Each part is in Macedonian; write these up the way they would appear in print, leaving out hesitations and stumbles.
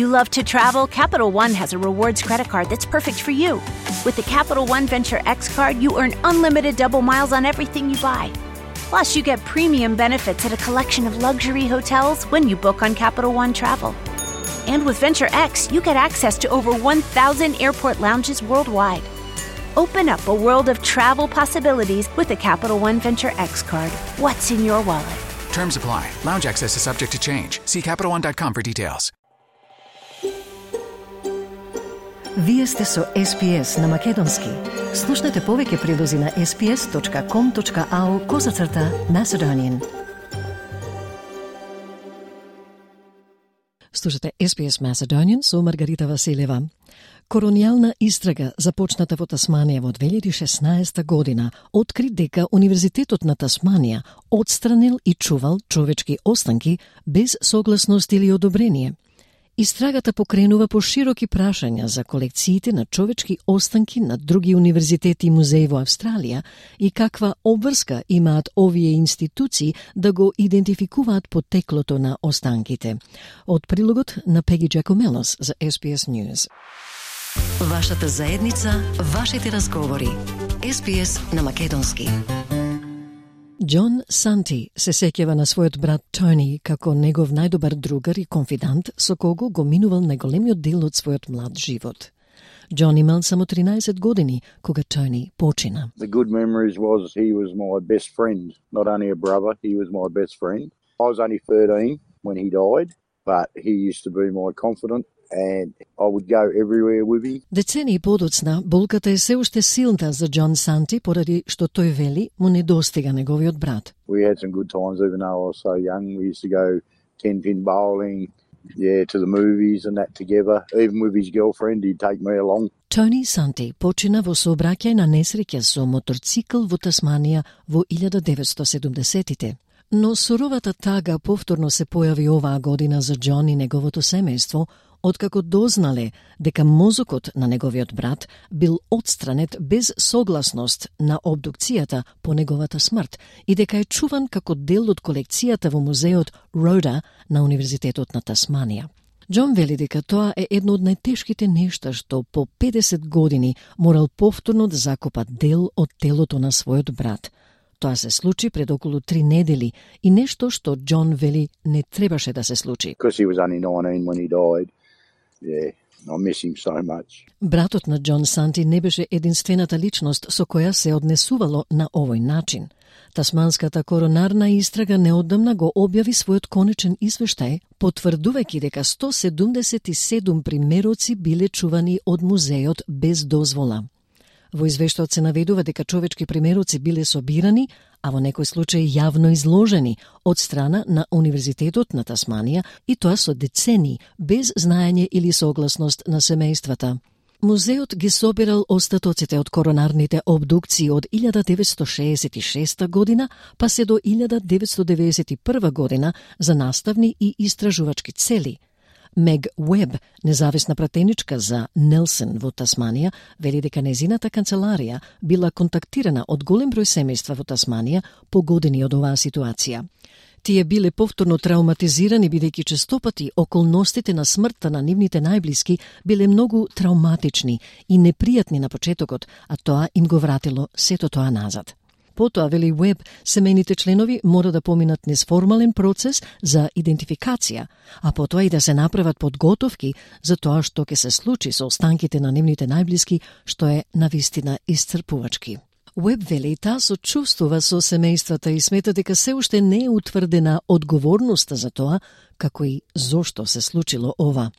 you love to travel, Capital One has a rewards credit card that's perfect for you. With the Capital One Venture X card, you earn unlimited double miles on everything you buy. Plus, you get premium benefits at a collection of luxury hotels when you book on Capital One Travel. And with Venture X, you get access to over 1,000 airport lounges worldwide. Open up a world of travel possibilities with the Capital One Venture X card. What's in your wallet? Terms apply. Lounge access is subject to change. See CapitalOne.com for details. Вие сте со SPS на Македонски. Слушнете повеќе прилози на sps.com.au/Macedonian. Слушате SPS Macedonian со Маргарита Василева. Коронијална истрага, започната во Тасманија во 2016 година, откри дека Универзитетот на Тасманија отстранил и чувал човечки останки без согласност или одобрение. Истрагата покренува по широки прашања за колекциите на човечки останки на други универзитети и музеи во Австралија и каква обврска имаат овие институции да го идентификуваат потеклото на останките. Од прилогот на Пеги Джакомелос за SPS News. Вашата заедница, вашите разговори. SPS на Македонски. Џон Санти се сеќава на својот брат Тони како негов најдобар другар и конфидант со кого го минувал најголемиот дел од својот млад живот. Џон имал само 13 години кога Тони почина. The good memories was he was my best friend, not only a brother, he was my best friend. I was only 13 when he died, but he used to be my confidant and I would go everywhere with him. Децении подоцна, болката е се уште силна за Џон Санти поради што тој вели му недостига неговиот брат. We had some good times even though I was so young. We used to go 10-pin bowling, to the movies and that together. Even with his girlfriend, he'd take me along. Тони Санти почина во сообраќај на несреќа со моторцикл во Тасманија во 1970-тите. Но суровата тага повторно се појави оваа година за Џон и неговото семејство, откако дознале дека мозокот на неговиот брат бил отстранет без согласност на обдукцијата по неговата смрт и дека е чуван како дел од колекцијата во музеот Рода на Универзитетот на Тасманија. Џон вели дека тоа е едно од најтешките нешта што по 50 години морал повторно да закопа дел од телото на својот брат. Тоа се случи пред околу 3 недели и нешто што Џон вели не требаше да се случи. Because he was only 19 when he died. Yeah, I miss him so much. Братот на Џон Санти не беше единствената личност со која се однесувало на овој начин. Тасманската коронарна истрага неодамна го објави својот конечен извештај, потврдувајќи дека 177 примероци биле чувани од музеот без дозвола. Во извештајот се наведува дека човечки примероци биле собирани, а во некој случај јавно изложени од страна на Универзитетот на Тасманија и тоа со децении, без знаење или согласност на семејствата. Музеот ги собирал остатоците од коронарните обдукции од 1966 година, па се до 1991 година за наставни и истражувачки цели. Мег Уеб, независна пратеничка за Нелсон во Тасманија, вели дека незината канцеларија била контактирана од голем број семејства во Тасманија погодени од оваа ситуација. Тие биле повторно травматизирани бидејќи честопати околностите на смртта на нивните најблиски биле многу травматични и непријатни на почетокот, а тоа им го вратило сето тоа назад. Потоа, вели Уеб, семејните членови мора да поминат низ формален процес за идентификација, а потоа и да се направат подготовки за тоа што ќе се случи со останките на нивните најблиски, што е навистина исцрпувачки. Уеб вели таа сочувствува со семејствата и смета дека се уште не е утврдена одговорноста за тоа, како и зошто се случило ова.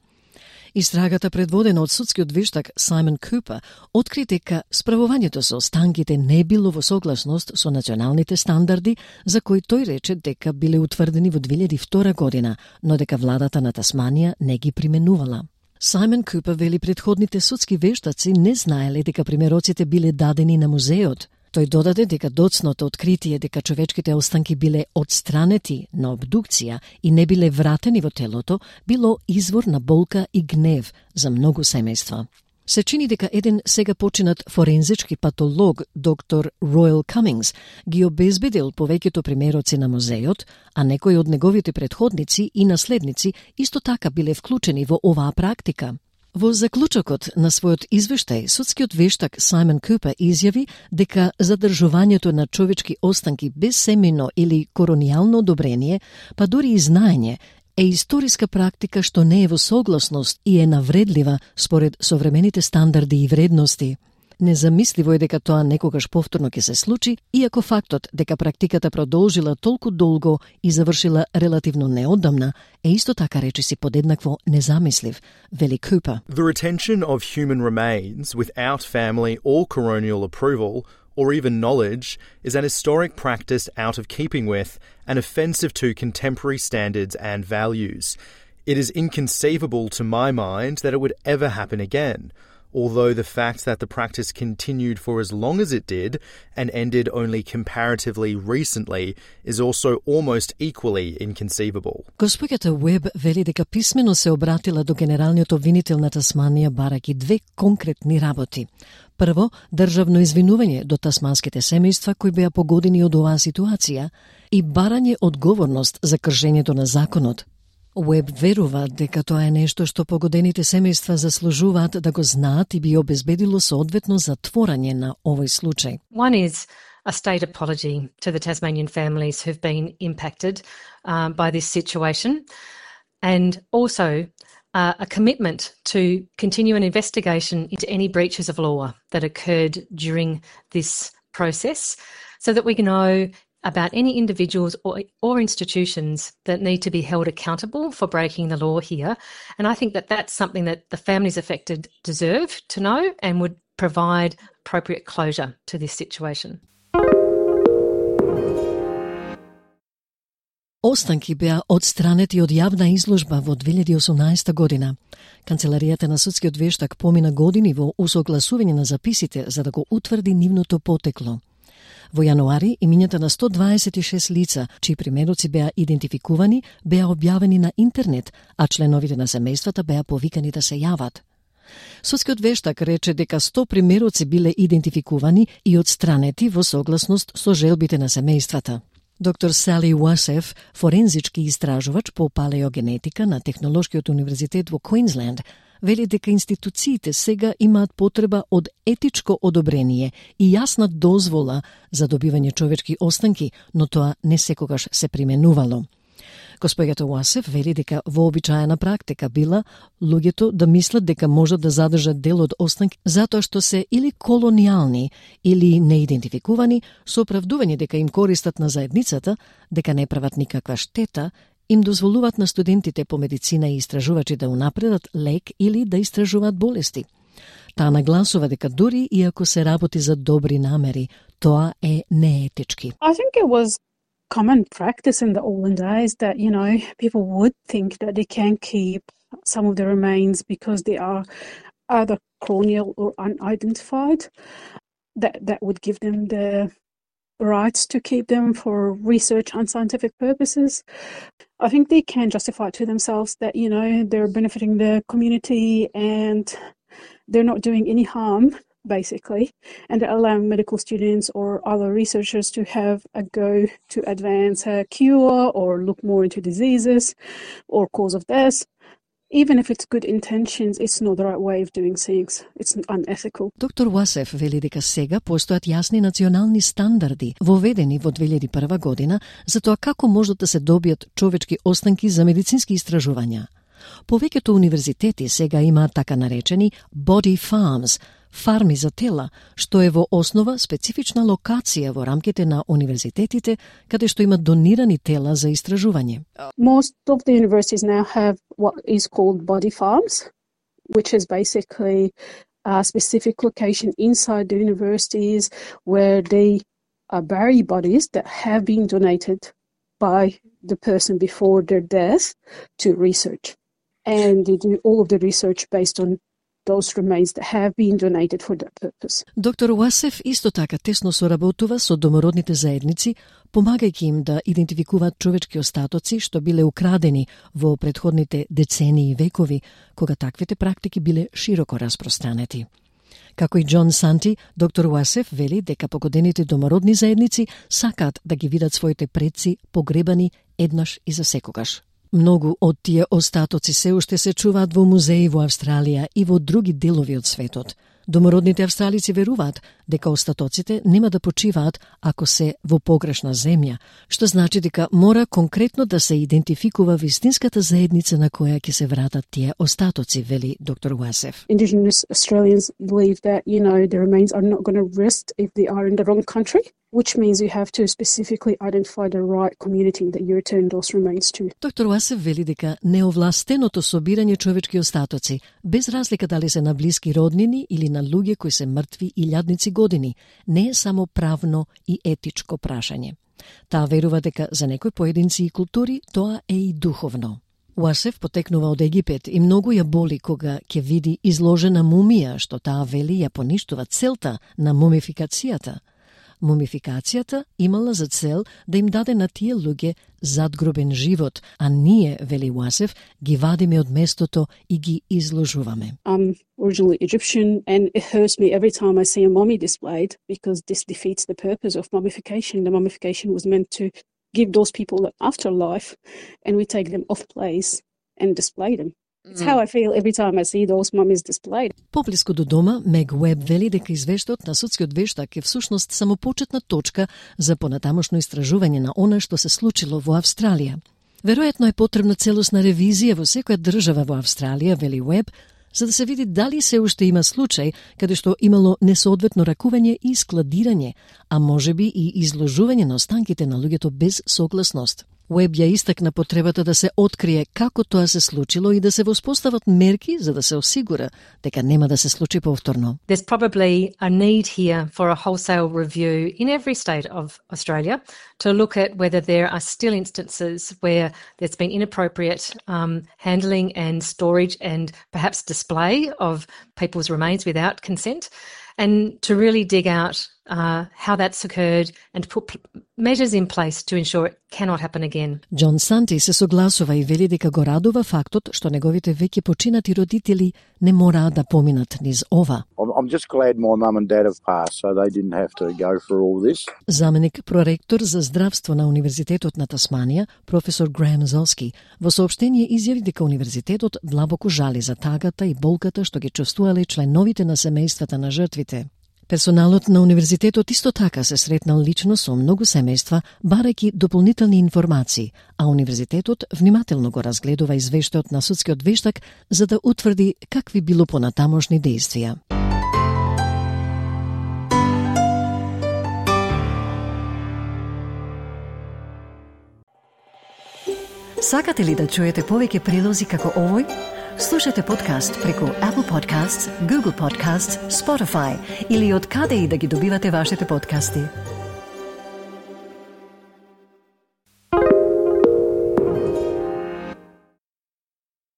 Истрагата предводена од судскиот вештак Саймон Купер откри дека справувањето со останките не било во согласност со националните стандарди за кои тој рече дека биле утврдени во 2002 година, но дека владата на Тасманија не ги применувала. Саймон Купер вели претходните судски вештаци не знаеле дека примероците биле дадени на музеот. Тој додаде дека доцното откритие дека човечките останки биле отстранети на обдукција и не биле вратени во телото, било извор на болка и гнев за многу семејства. Се чини дека еден сега починат форензички патолог, доктор Ройл Камингс, ги обезбедил повеќето примероци на музејот, а некои од неговите претходници и наследници исто така биле вклучени во оваа практика. Во заклучокот на својот извештај, судскиот вештак Саймон Купер изјави дека задржувањето на човечки останки без семено или коронијално одобрение, па дури и знаење, е историска практика што не е во согласност и е навредлива според современите стандарди и вредности. Незамисливо е дека тоа некогаш повторно ќе се случи, иако фактот дека практиката продолжила толку долго и завршила релативно неодамна е исто така речиси подеднакво незамислив, вели Купер. The retention of human remains without family or coronial approval or even knowledge is an historic practice out of keeping with and offensive to contemporary standards and values. It is inconceivable to my mind that it would ever happen again, although the fact that the practice continued for as long as it did and ended only comparatively recently is also almost equally inconceivable. Госпоѓата Уеб вели дека писмено се обратила до генералниот обвинител на Тасманија барајќи две конкретни работи. Прво, државно извинување до тасманските семејства кои беа погодени од оваа ситуација и барање одговорност за кршењето на законот. Уеб верува дека тоа е нешто што погодените семејства заслужуваат да го знаат и би обезбедило соодветно затворање на овој случај. One is a state apology to the Tasmanian families who've been impacted by this situation, and also a commitment to continue an investigation into any breaches of law that occurred during this process so that we can know about any individuals or institutions that need to be held accountable for breaking the law here. And I think that that's something that the families affected deserve to know and would provide appropriate closure to this situation. Останки беа одстранети од јавна изложба во 2018 година. Канцеларијата на судскиот вештак помина години во усогласување на записите за да го утврди нивното потекло. Во јануари, имињата на 126 лица, чии примероци беа идентификувани, беа објавени на интернет, а членовите на семејствата беа повикани да се јават. Судскиот вештак рече дека 100 примероци биле идентификувани и одстранети во согласност со желбите на семејствата. Доктор Сали Уасеф, форензички истражувач по палеогенетика на Технолошкиот универзитет во Квинсленд, вели дека институциите сега имаат потреба од етичко одобрение и јасна дозвола за добивање човечки останки, но тоа не секогаш се применувало. Госпоѓата Уасеф вели дека вообичаена практика била луѓето да мислат дека можат да задржат дел од останки затоа што се или колонијални или неидентификувани со оправдување дека им користат на заедницата, дека не прават никаква штета, им дозволуваат на студентите по медицина и истражувачи да унапредат лек или да истражуваат болести. Таа нагласува дека дури и ако се работи за добри намери, тоа е неетички. I think it was common practice in the olden days that, people would think that they can keep some of the remains because they are either colonial or unidentified. That would give them the rights to keep them for research and scientific purposes. I think they can justify to themselves that, they're benefiting the community and they're not doing any harm, basically, and they're allowing medical students or other researchers to have a go to advance a cure or look more into diseases or cause of death. Even if it's good intentions, it's not the right way of doing things. It's unethical. Доктор Уасеф вели дека сега постојат јасни национални стандарди, воведени во 2001 година, за тоа како можат да се добијат човечки останки за медицински истражувања. Повеќето универзитети сега имаат така наречени body farms, фарми за тела, што е во основа специфична локација во рамките на универзитетите, каде што имат донирани тела за истражување. Most of the universities now have what is called body farms, which is basically a specific location inside the universities where they bury bodies that have been donated by the person before their death to research. And they do all of the research based on those remains that have been donated for that purpose. Доктор Уасеф исто така тесно соработува со домородните заедници помагајќи им да идентификуваат човечки остатоци што биле украдени во претходните децении и векови, кога таквите практики биле широко распространети. Како и Џон Санти, доктор Уасеф вели дека погодените домородни заедници сакаат да ги видат своите предци погребани еднаш и за секогаш. Многу од тие остатоци се уште се чуваат во музеи во Австралија и во други делови од светот. Домородните австралици веруваат дека остатоците нема да почиваат ако се во погрешна земја, што значи дека мора конкретно да се идентификува вистинската заедница на која ќе се вратат тие остатоци, вели доктор Уасеф. Indigenous Australians believe that, the remains are not going to rest if they are in the wrong country, which means you have to specifically identify the right community that you return those remains to. Доктор Уасеф вели дека неовластеното собирање човечки остатоци, без разлика дали се на блиски роднини или на луѓе кои се мртви илјадници години, не е само правно и етичко прашање. Таа верува дека за некои поединци и култури тоа е и духовно. Уасеф потекнува од Египет и многу ја боли кога ќе види изложена мумија, што таа вели ја поништува целта на мумификацијата. Мумификацијата имала за цел да им даде на тие луѓе задгробен живот, а ние, вели Уасеф, ги вадиме од местото и ги изложуваме. I'm originally Egyptian and it hurts me every time I see a mummy displayed because this defeats the purpose of mummification. The mummification was meant to give those people an afterlife and we take them off place and display them. It's how I feel every time I see those mummies displayed. Поблиску до дома, Мег Уеб вели дека извештајот на судскиот вештак е всушност само почетна точка за понатамошно истражување на она што се случило во Австралија. Веројатно е потребна целосна ревизија во секоја држава во Австралија, вели Уеб, за да се види дали се уште има случај каде што имало несоодветно ракување и складирање, а можеби и изложување на останките на луѓето без согласност. Уеб ја истакна потребата да се открие како тоа се случило и да се воспостават мерки за да се осигура дека нема да се случи повторно. There's probably a need here for a wholesale review in every state of Australia to look at whether there are still instances where there's been inappropriate handling and storage and perhaps display of people's remains without consent, and to really dig out how that's occurred and put measures in place to ensure it cannot happen again. Џон Санти се согласува и вели дека го радува фактот што неговите веќе починати родители не мораат да поминат низ ова. I'm just glad my mum and dad have passed so they didn't have to go through all this. Заменик проректор за здравство на Универзитетот на Тасманија, професор Греем Золски, во соопштение изјави дека универзитетот длабоко жали за тагата и болката што ги чувствувале членовите на семејствата на жртвите. Персоналот на универзитетот исто така се сретнал лично со многу семејства, барајќи дополнителни информации, а универзитетот внимателно го разгледува извештајот на судскиот вештак за да утврди какви било понатамошни действија. Сакате ли да чуете повеќе прилози како овој? Слушате подкаст преку Apple Podcasts, Google Podcasts, Spotify или од каде и да ги добивате вашите подкасти.